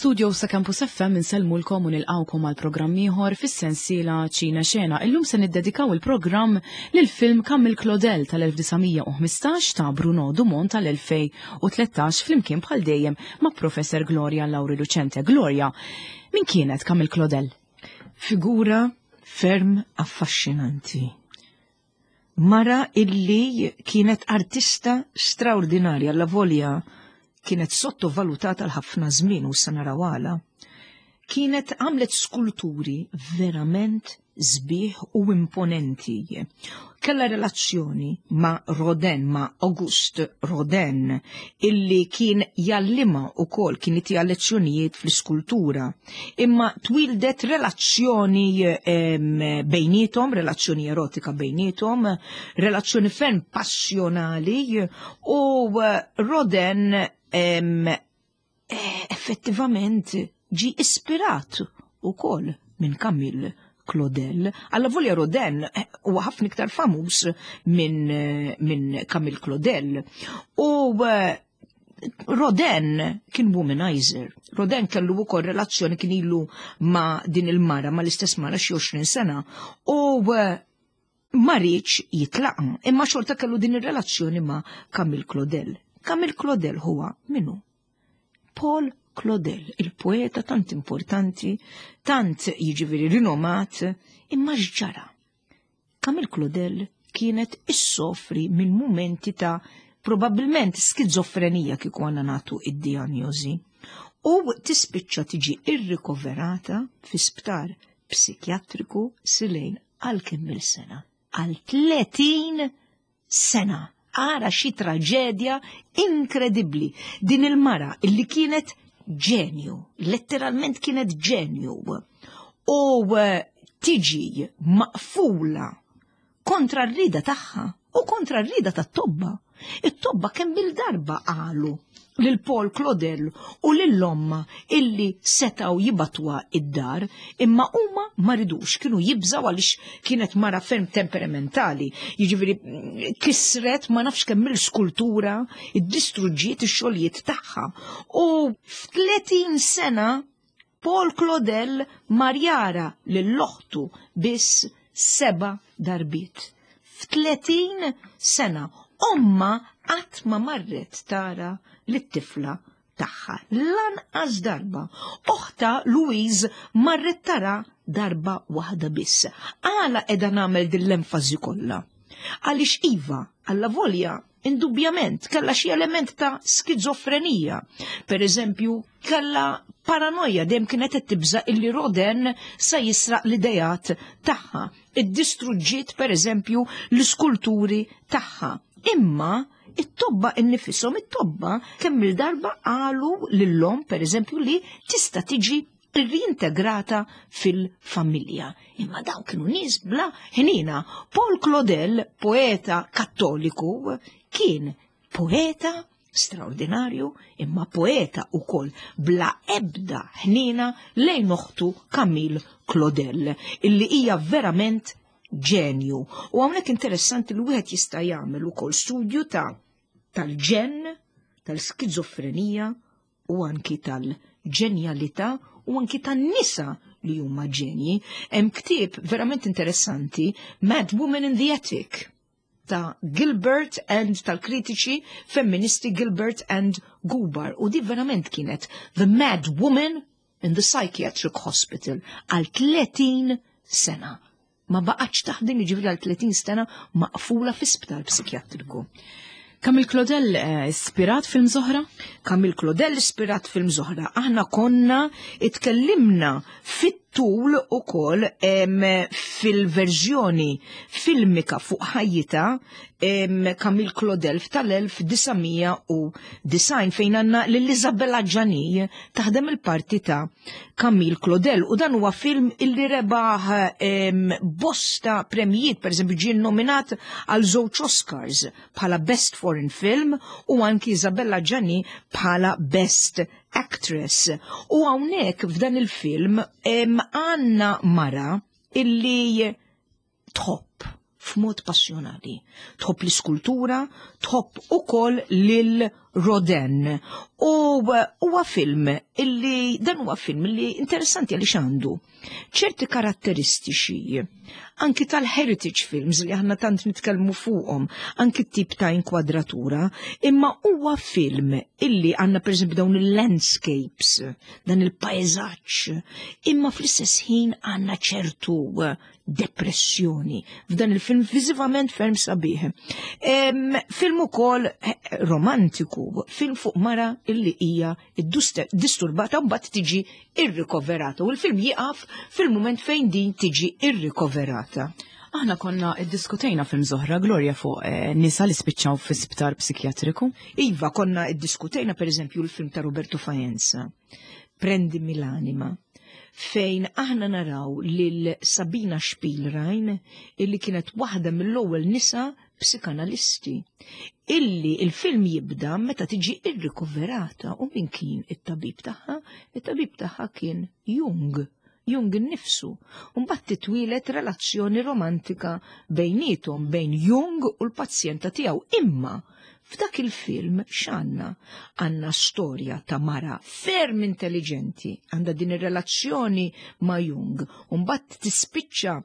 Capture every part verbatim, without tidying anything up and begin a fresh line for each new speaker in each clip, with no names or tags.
Mill-studio sa Campus F M insellmulkom u nilqawkom għal programm ieħor fis-sensiela Ċina Xena. Illum se niddedikaw il-programm lil film Camille Claudel tal-elf disa' mija u ħmistax ta' Bruno Dumont tal-elfejn u tlettax, flimkien bħal dejjem ma' Professor Gloria Lauri Lucente. Gloria, min kienet Camille Claudel?
Figura ferm affaxxinanti. Mara illi kienet artista straordinarja, la volja kienet sottovalutata l-ħafna żmien u sa naraw għala. Kienet għamlet skulturi verament sbieħ u imponenti. Kella relazzjoni ma' Rodin, ma' Auguste Rodin, illi kien jgħallimha u kol kien jtiha lezzjonijiet fl-iskultura. Imma twildet relazzjoni bejnietom, relazzjoni erotika bejnietom, relazzjoni ferm passjonali, u Rodin em, effettivament ġi ispirat u kol minn Camille Claudel. Alla volja Rodin eh, huwa ħafna iktar famuż minn min Camille Claudel. U eh, Rodin kien womanizer. Rodin kellu wkoll relazzjoni, kien ilu ma' din il-mara, ma' l-istess mara xi għoxrin sena. U eh, ma riedx jitlaqa, imma xorta kellu din ir-relazzjoni ma' Camille Claudel. Camille Claudel huwa minu? Paul Claudel, il-poeta tant importanti, tant jiġifieri rinomat, imma x'ġara? Camille Claudel kienet issofri minn mumenti ta' probabbilment skizofrenija, kieku għandna nagħtu id-diagnosi. U tispiċċa tiġi irrikoverata fi sptar psikjatriku silejn għal kemm il-sena. Għal tletin sena. Ara xi traġedja inkredibbli. Din il-mara illi kienet ġenju, letteralment kienet ġenju. U eh, tiġi maqfula kontra r-rida tagħha u kontra r-rida tat-tobba. It-tobba kemm bil-darba qalu lil Paul Claudel u lil ommha illi setgħu jibagħtuha id-dar, imma huma ma ridux, kienu jibżaw għaliex kienet mara ferm temperamentali. Jiġifieri kisret ma nafx kemm il-skultura, iddistruġġiet ix-xogħlijiet tagħha. U f'tletin sena Paul Claudel mar jara lil oħtu biss seba' darbiet. F'tletin sena ommha qatt ma marret tara lit-tifla tagħha. Lanqas darba. Oħta Louise marret tara darba waħda biss. Għala qiegħda nagħmel din l-enfasi kollha? Għaliex iva, alla volja, indubjament, kella xi element ta' skizofrenija. Per eżempju, kella paranoja, dejjem kienet qed tibża illi Rodin sa jisraq l-idejat tagħha. Iddistruġġiet, per eżempju, l-iskulturi tagħha. Imma it-tobba innifisom, it-tobba kemm il-darba qalu lil-omm, per eżempju, li tista' tiġi reintegrata fil-familja. Imma dawn kienu nies bla ħnina. Paul Claudel, poeta kattoliku, kien poeta straordinarju, imma poeta ukoll bla ebda ħnina lejn oħtu Camille Claudel, illi hija verament ġenju. U hawnhekk interessanti li wieħed jista' jagħmel ukoll studju ta' tal-ġen, tal-skizofrenija u anki tal-ġenjalità u anki tan-nisa li huma ġenji. Hemm ktieb verament interessanti, Mad Woman in the Attic, ta' Gilbert and tal-kritiċi femministi Gilbert and Gubar. U di verament kienet The Mad Woman in the Psychiatric Hospital għal tletin sena. Ma baqgħetx taħdem, jiġifieri għal tletin sena maqfula fi sptar psikjatriku.
Camille Claudel eh, ispirat film oħra?
Camille Claudel ispirat film oħra. Aħna konna itkellimna fit-tul ukoll fil-verżjoni filmika fuq ħajjita Camille Claudel tal-elf disa' mija u disgħin, fejn għandna lil Isabella Adjani taħdem il-parti ta' Camille Claudel, u dan huwa film illi rebaħ bosta premijiet, per eżempju ġie nominat għal żewġ Oscars bħala Best Foreign Film u anki Isabella Adjani bħala Best Actress. U hawnhekk f'dan il-film għandna mara illi tħobb f'mod passjonali. Tħobb l-iskultura, tħobb ukoll lil Rodin. U huwa film illi dan huwa film illi interessanti għaliex għandu ċerti karatteristiċi anki tal-heritage films li aħna tant nitkellmu fuqhom, anki t-tip ta' inkwadratura, imma huwa film illi għandna pereżempju dawn il-landscapes, dan il-pajzaġġ, imma fl-istess ħin għandna ċertu depressjoni f'dan il-film viżivament ferm sabiħ. Em, film ukoll eh, romantiku, film fuq mara illi hija disturbata u mbagħad tiġi irrikoverata u l-film jieqaf fil-mument fejn din tiġi irrikoverata.
Aħna konna iddiskutejna film oħra Gloria fuq eh, nisa li spiċċaw fi sptar psikjatriku.
Iva, konna iddiskutejna per eżempju l-film ta' Roberto Faenza, Prendimi l'anima, fejn aħna naraw lil Sabina Spielrein illi kienet waħda mill-ewwel nisa psikanalisti illi il-film jibda meta tiġi irrikoverata u min kien it-tabib tagħha? It-tabib tagħha kien Jung. Jung innifsu. Mbagħad titwieled relazzjoni romantika bejnietom bejn Jung u l-pazjenta tiegħu. Imma f'dak il-film x'għandna? Għandna storja ta' mara ferm intelligenti, għandha din ir-relazzjoni ma' Jung, u mbagħad tispiċċa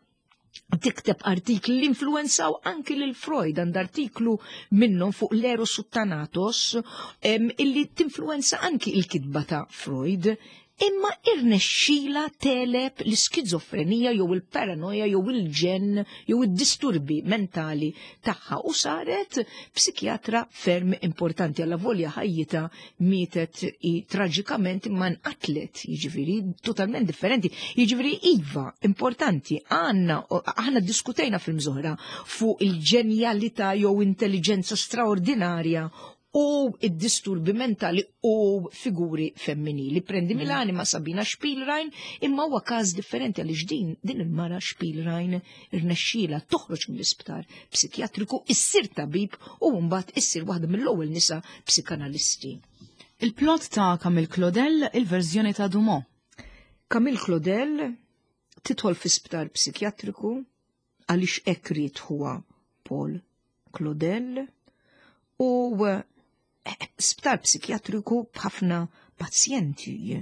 tikteb artikli li influenzaw anki lil Freud, għand artiklu minnhom fuq l-Eros u Thanatos, em, illi tinfluenza anki il-kitba ta' Freud, imma irnexxila tegħleb l-iskizofrenija jew il-paranoja jew il-ġenn jew id-disturbi mentali tagħha u saret psikjatra ferm importanti alla volja ħajjita mietet i traġikament imma nqatlet, jiġifieri totalment differenti. Jiġifieri iva, importanti, għandna aħna diskutejna film oħra fuq il-ġenjalità jew intelligenza straordinarja u id-disturbi mentali u figuri femminili. Prendimi l'anima Sabina Spielrein, imma huwa każ differenti għaliex din din il-mara Spielrein irnexxiela toħroġ mill-isptar psikjatriku, issir tabib u mbagħad issir waħda mill-ewwel nisa psikanalisti.
Il-plot ta' Camille Claudel, il-verżjoni ta' Dumont.
Camille Claudel tidħol fi sptar psikjatriku għaliex hekk ried huwa Paul Claudel u eh, sptar psikjatriku b'ħafna pazjenti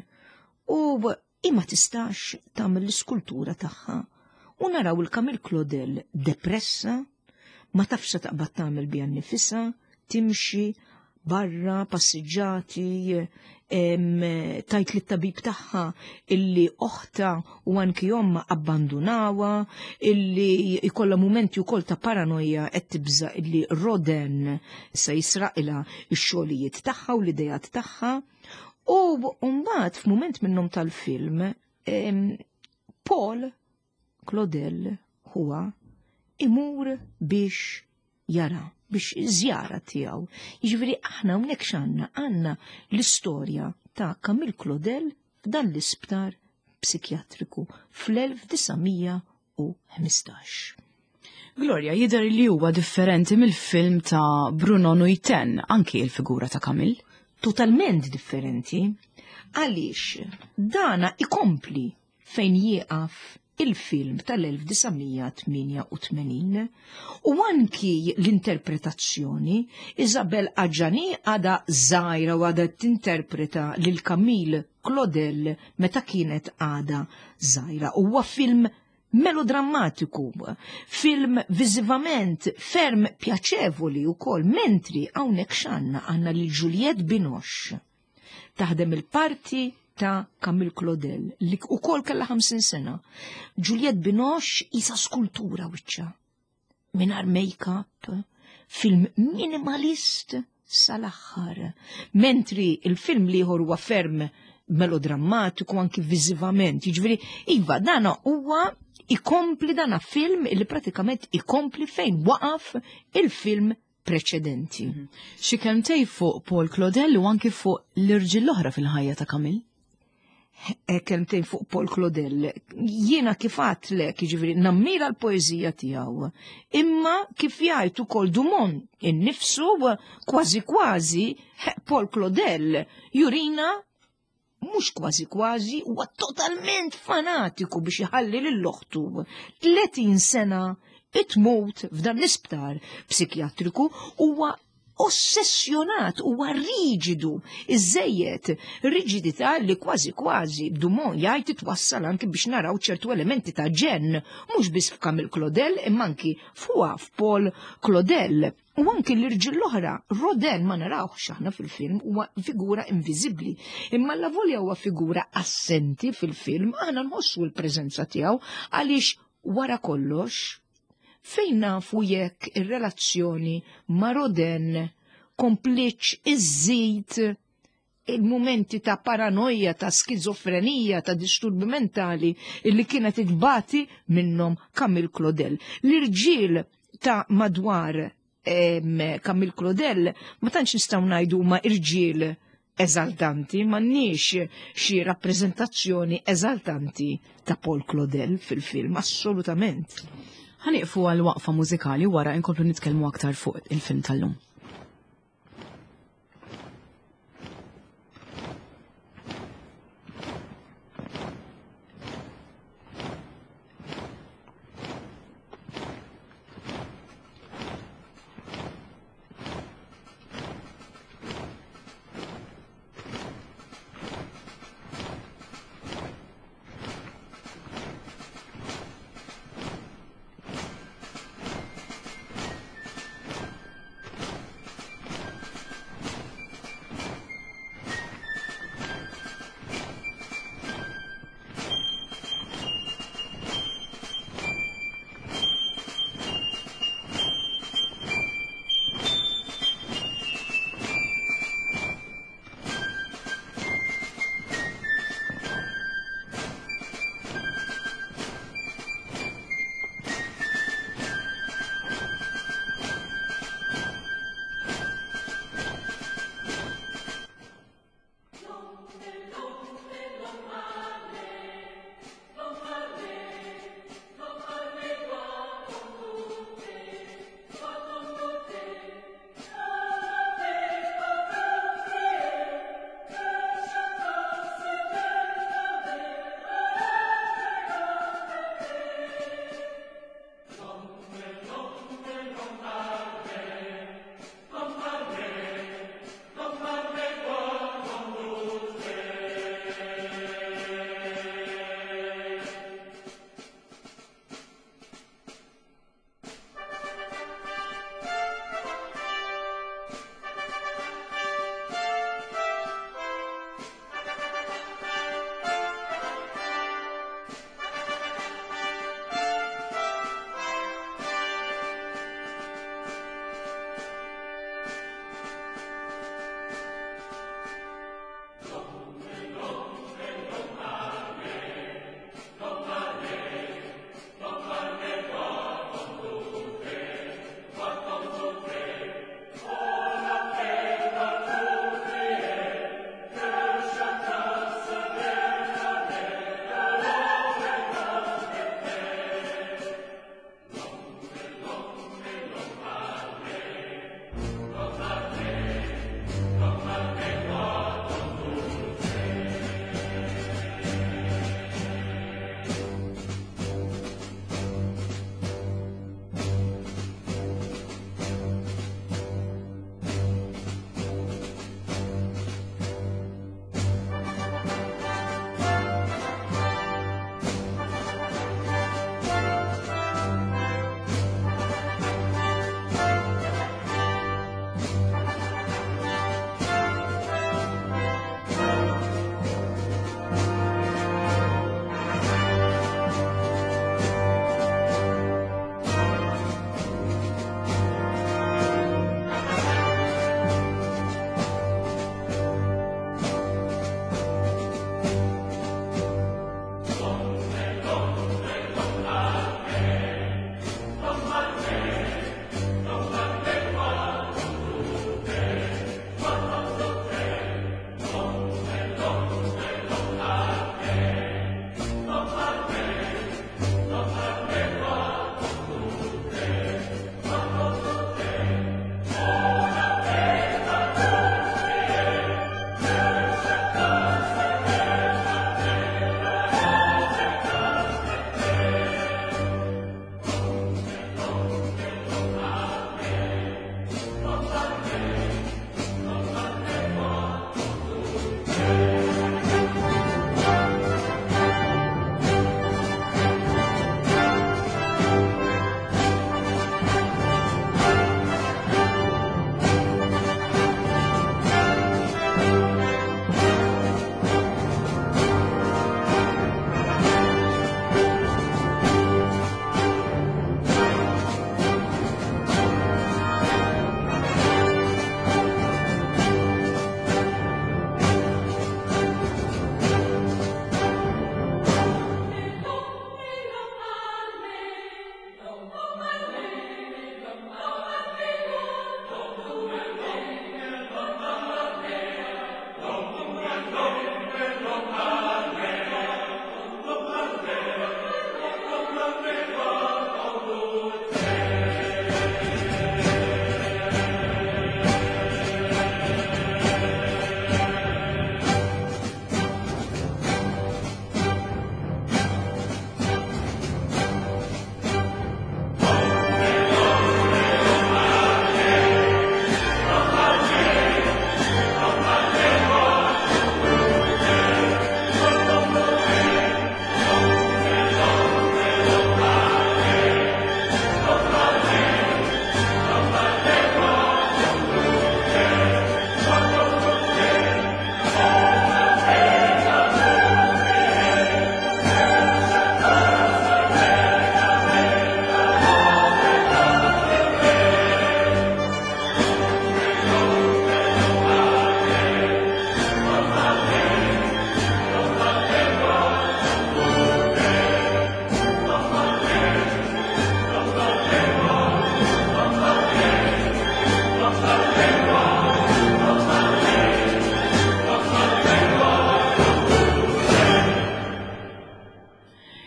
u imma tistax tagħmel l-iskultura tagħha. U naraw il-Camille Claudel depressa, ma tafx se taqbad tagħmel biha nnifisha, timxi barra, passiġġati, em, tgħid lit-tabib tagħha illi oħta u anki omma abbandunawha, illi ikolla mumenti wkoll ta' paranoja qed tibża illi Rodin se jisraqilha x-xogħlijiet tagħha u l-idejat tagħha. U mbagħad f'mument minnhom tal-film, em, Paul Claudel huwa imur biex jara, biex żjara tiegħu. Jiġifieri aħna hawnhekk x'għandna? Għandna l-istorja ta' Camille Claudel f'dan l-isptar psikjatriku fl-elf disa' mija u ħmistax.
Gloria, jidher li huwa differenti mill-film ta' Bruno Nuytten, anki il-figura ta' Camille.
Totalment differenti, għaliex dana ikompli fejn jieqaf il-film tal-elf disa' mija tmienja u tmenin u anki l-interpretazzjoni. Isabelle Adjani għada żgħira u għada tinterpreta lil Camille Claudel meta kienet għada żgħira. Huwa film melodrammatiku, film viżivament ferm pjaċevoli u kol, mentri hawnhekk x'għandna? Għandna lil Juliette Binoche taħdem il-parti ta' Camille Claudel, li u kol kella ħamsin sena. Juliette Binoche isa skultura wiċċa, mingħajr make-up, film minimalist sal-aħħar. Mentri il-film liħor huwa ferm melodrammatiku anki viżivament. Jiġifieri, iva, dana huwa ikompli, dana film li pratikament ikompli fejn waqaf il-film preċedenti.
Mhm. Xi kelmtej fuq Paul Claudel u anki fuq l-irġiel l-oħra fil-ħajja ta' Camille?
E, kelmtejn fuq Paul Claudel. Jiena kif għedtlek, jiġifieri, nammira l-poeżija tiegħu. Imma kif jgħid ukoll Dumont innifsu, kważi kważi Paul Claudel jurina mhux kważi kważi huwa totalment fanatiku biex iħalli lil oħtu tletin sena itmut f'dan l-isptar psikjatriku. Huwa ossessjonat, huwa riġidu, iżejjed, riġidità li kważi kważi Dumont jgħid twassal anki biex naraw ċertu elementi ta' ġenn, mhux biss f'Camille Claudel imma anki fuqha f'Paul Claudel. U anki l-irġiel l-oħra, Rodin ma narawx aħna fil-film, huwa figura inviżibbli. Imma avolja huwa figura assenti fil-film, aħna nħossu l-preżenza tiegħu għaliex wara kollox fejn nafu jekk ir-relazzjoni ma' Rodin kompliċ iżżid il-momenti ta' paranoja, ta' skizofrenija, ta' disturbi mentali illi kienet itbati minnhom Camille Claudel. L-irġiel ta' madwar Camille Claudel ma tantx nistgħu ngħidu ma' irġiel eżaltanti, m'għandniex xi rappreżentazzjoni eżaltanti ta' Paul Claudel fil-film, assolutament.
Ħa nieqfu għal waqfa mużikali wara inkomplu nitkellmu aktar fuq il-film tal-lum.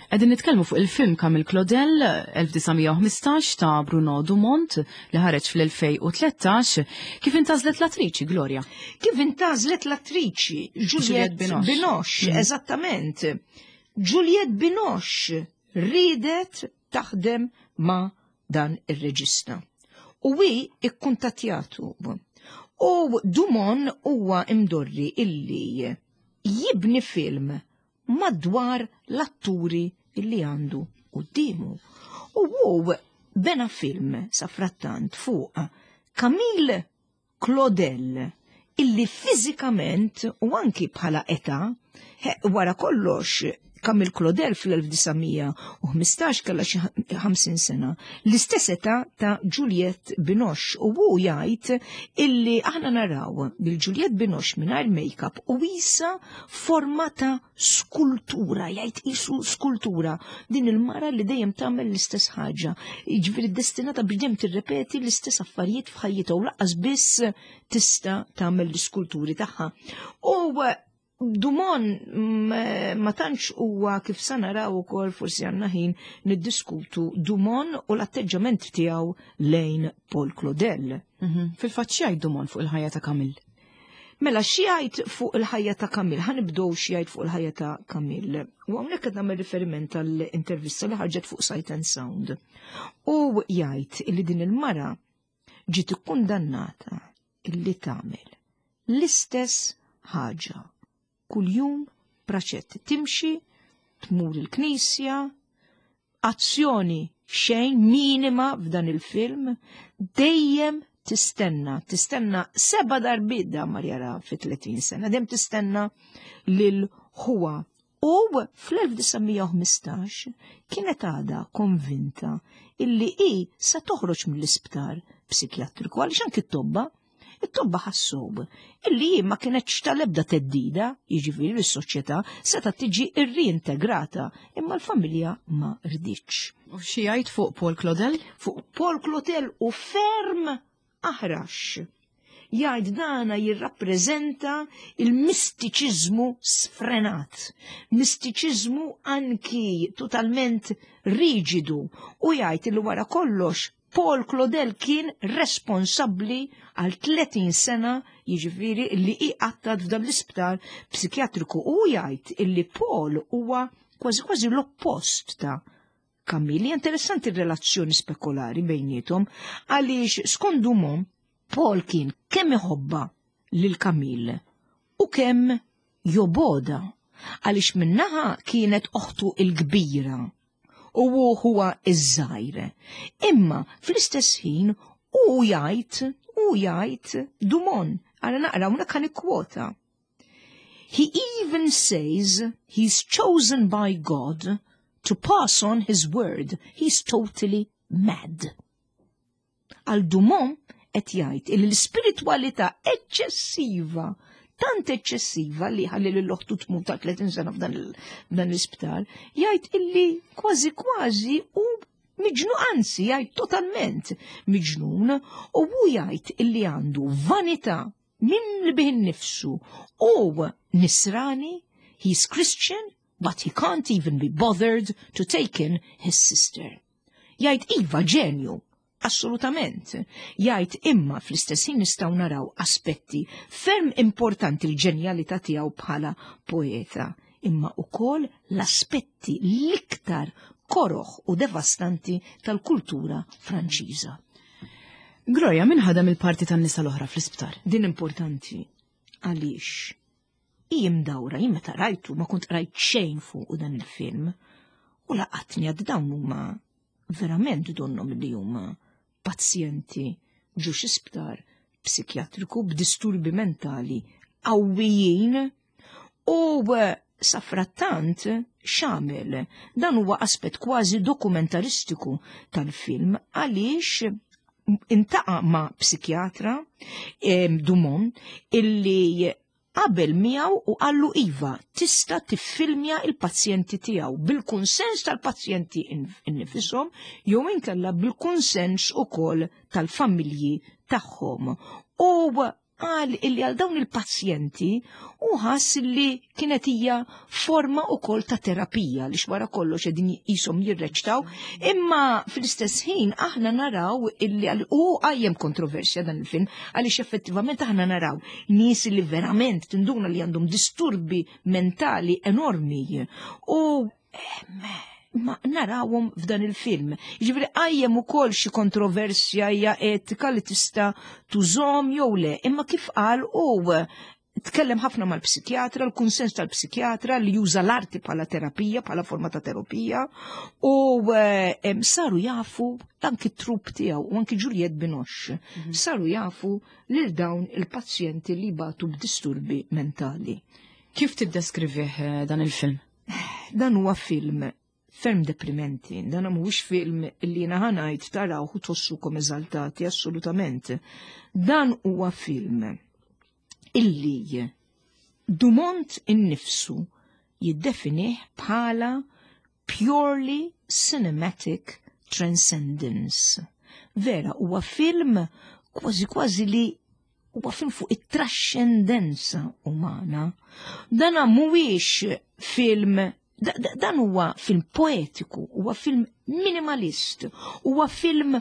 Qegħdin nitkellmu fuq il-film Camille Claudel elf disa' mija u ħmistax ta' Bruno Dumont li ħareġ fl-elfejn u tlettax. Kif intgħażlet l-attriċi, Gloria?
Kif intgħażlet l-attriċi? Juliette
Binoche.
Binoche,
Mhm.
eżattament. Juliette Binoche ridet taħdem ma' dan ir-reġista. U hi ikkuntattjatu. U Dumont huwa imdorri illi jibni film madwar l-atturi illi għandu quddiemu. U hu bena film safrattant fuq Camille Claudel illi fiżikament u anki bħala età, he, wara kollox Camille Claudel fl-elf disa' mija u ħmistax kellha xi ħamsin sena, l-istess età ta' Juliette Binoche, u hu jgħid illi aħna naraw lil Juliette Binoche mingħajr make-up u qisha forma ta' skultura, jgħid qisu skultura, din il-mara li dejjem tagħmel l-istess ħaġa, jiġifieri destinata biex dejjem tirrepeti l-istess affarijiet f'ħajjitha u lanqas biss tista' tagħmel l-iskulturi tagħha. U Dumont mm, ma tantx huwa, kif sa naraw ukoll, forsi għandna ħin niddiskutu Dumont u l-atteġġament tiegħu lejn Paul Claudel.
Mhm. Fil-fatt x'jgħid Dumont fuq il-ħajja ta' Camille?
Mela, x'jgħid fuq il-ħajja ta' Camille? Ħa nibdew x'jgħid fuq il-ħajja ta' Camille. U hawnhekk qed nagħmel riferiment għall-intervista li ħarġet fuq Sight and Sound. U jgħid illi din il-mara ġiet ikkundannata illi tagħmel l-istess ħaġa kuljum praċett, timxi, tmur il-knisja, azzjoni xejn, minima f'dan il-film, dejjem tistenna, tistenna seba' darbiet da mar jara fi tletin sena, dejjem tistenna lil ħuha. U fl-elf disa' mija u ħmistax kienet għada konvinta illi i sa toħroġ mill-isptar psikjatriku, għaliex anki t-tobba it-tobba ħassob illi hi ma kienetx tal-ebda theddida, jiġifieri l-soċjetà, seta' tiġi irriintegrata, imma l-familja ma riditx.
U x'jgħid fuq Paul Claudel?
Fuq Paul Claudel u ferm aħrax. Jgħid dana jirrappreżenta il-mistiċiżmu sfrenat, mistiċiżmu anki totalment riġidu, u jgħid li wara kollox Paul Claudel kien responsabbli għal tletin sena, jiġifieri li iqattad f'dan l-isptar psikjatriku, u jgħid illi Paul huwa kważi kważi l-oppost ta' Camille. Interessanti r-relazzjoni spekulari bejniethom, għaliex skont Dumont Paul kien kemm iħobbha lil Camille u kemm jobgħodha, għaliex minn naħa kienet oħtu il-kbira u hu huwa iż-żgħir. Imma fl-istess ħin u jgħid u jgħid Dumont, għara naqra hawnhekk kan kwota. "He even says he's chosen by God to pass on his word. He's totally mad." Għal Dumont qed jgħid li l-ispiritwalità eċċessiva, tant eċċessiva li ħalli lil oħtu tmut ta' tletin sena f'dan il- f'dan l-isptar, jgħid illi kważi kważi u miġnun, anzi jgħid totalment miġnun, u hu jgħid illi għandu vanità minn bih innifsu u nisrani, he's Christian, but he can't even be bothered to take in his sister. Jgħid iva ġenju, assolutament. Jgħid imma fl-istess ħin nistgħu naraw aspetti ferm importanti, l-ġenjalità tiegħu bħala poeta, imma ukoll l-aspetti l-iktar koroħ u devastanti tal-kultura Franċiża.
Gloria, min ħadem il-parti tan-nisa l-oħra fl-isptar?
Din importanti għaliex hi mdawra, jien meta rajtu ma kont rajt xejn fuq dan il-film u laqatni għad dawn huma verament donnom li huma pazjenti ġo xi sptar psikjatriku b'disturbi mentali qawwijin. U safrattant x'għamel, dan huwa aspett kważi dokumentaristiku tal-film, għaliex iltaqa' ma' psikjatra em, Dumont, illi qabel miegħu u qallu iva tista' tiffilmja il-pazjenti tiegħu bil-kunsens tal-pazjenti innifisom jew inkella bil-kunsens ukoll tal-familji tagħhom. U Qal illi għal dawn il-pazjenti u ħass li kienet hija forma ukoll ta' terapija li wara kollox qegħdin qishom jirreċtaw, imma fl-istess ħin aħna naraw illi u qajjem kontroversja dan il-film għaliex effettivament aħna naraw nies li verament tinduna li għandhom disturbi mentali enormi u ma narawhom f'dan il-film. Jiġifieri qajjem ukoll xi kontroversja hija etika li tista' tużhom jew le, imma kif qal u tkellem ħafna mal-psikjatra, l-kunsens tal-psikjatra li juża l-arti bħala terapija, bħala forma ta' terapija, u eh, saru jafu anki t-troupe tiegħu u anki Juliette Binoche, mhm. saru jafu lil dawn il-pazjenti li batu b'disturbi mentali.
Kif tiddeskrivih eh, dan il-film?
Dan huwa film ferm deprimenti. Dan mhuwiex film li jiena ħa ngħid taraw u tħossukom eżaltati, assolutament. Dan huwa film illi Dumont innifsu jiddefinih bħala purely cinematic transcendence. Vera, huwa film kważi kważi li huwa film fuq it-trascendenza umana. Dana mhuwiex film dan huwa film poetiku, huwa film minimalist, huwa film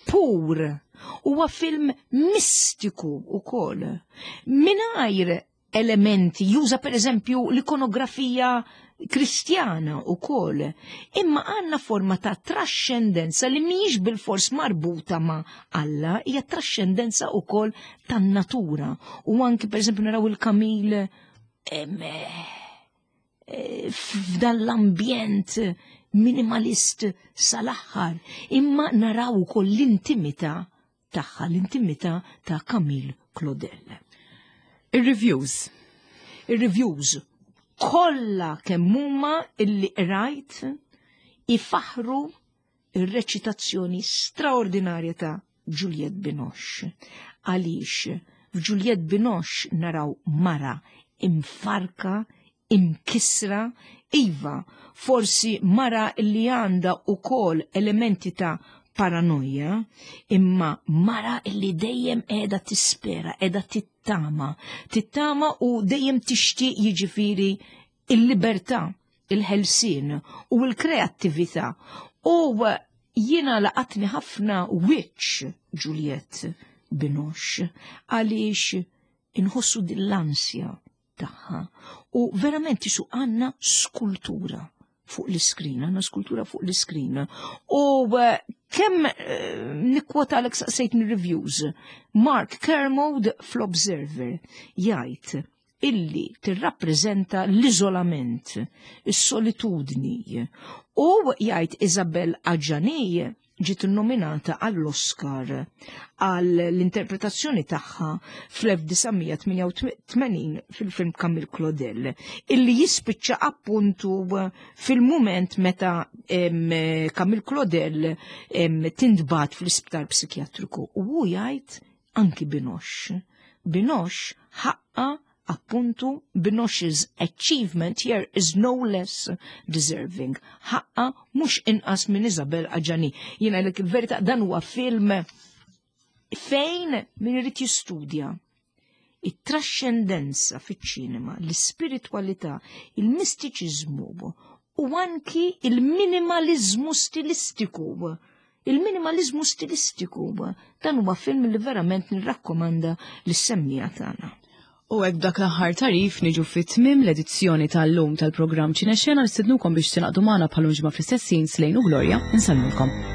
pur, huwa film mistiku ukoll. Mingħajr elementi, juża per eżempju l-ikonografija kristjana u koll, imma għanna forma ta' trascendenza li mhijiex bil-fors marbuta ma' Alla, hija trascendenza u koll tan-natura. U anki per eżempju naraw il-Camille eh, f'dan l-ambjent minimalist sal-aħħar, imma naraw ukoll l-intimità tagħha, l-intimità ta' Camille Claudel.
Ir-reviews.
Ir-reviews kollha kemm huma illi qrajt ifaħru ir-reċitazzjoni straordinarja ta' Juliette Binoche. Għaliex f'Juliette Binoche naraw mara imfarka, imkisra, iva, forsi mara li għanda ukoll elementi ta' paranoja, imma mara li dejjem qiegħda tispera, qiegħda tittama, tittama u dejjem tixtieq jiġifieri il-libertà, il-ħelsien u l-kreattività. U jiena laqatni ħafna wiċċ Juliette Binoche għaliex inħossu din l-ansja tagħha u verament qisu għandna skultura fuq l-iskrin, għandna skultura fuq l-iskrin. U eh, kemm eh, nikkwota għalek saqsejtni reviews, Mark Kermode fl-Observer jgħid illi tirrappreżenta l-iżolament, is-solitudni, u jgħid Isabelle Adjani ġiet nominata għall-Oscar għall-interpretazzjoni tagħha fl-elf disa' mija tmienja u tmenin fil-film Camille Claudel, illi jispiċċa appuntu fil-moment meta Camille Claudel tintbagħat fl-isptar psikjatriku u hu jgħid anki Binoche. Binoche ħaqqa appuntu Binoche's achievement here is no less deserving. Ħaqqa mhux inqas minn Isabelle Adjani. Jiena l verità dan huwa film fejn min irid jistudja it-trascendenza fiċ-ċinema, l-ispiritualità, il-mistiċiżmu u anki il-minimalizmu stilistiku. Il-minimalizmu stilistiku dan huwa film li verament nirrakkomanda lis-semmiegħa tagħna.
U hekk dak l-aħħar tagħrif niġu fit-tmim l-edizzjoni tal-lum tal-programm Ċinexxena. Nistednukom biex tingħaqdu magħna bħal ġimgħa fl-istess ħin. Slejn u Gloria, insellmulkom.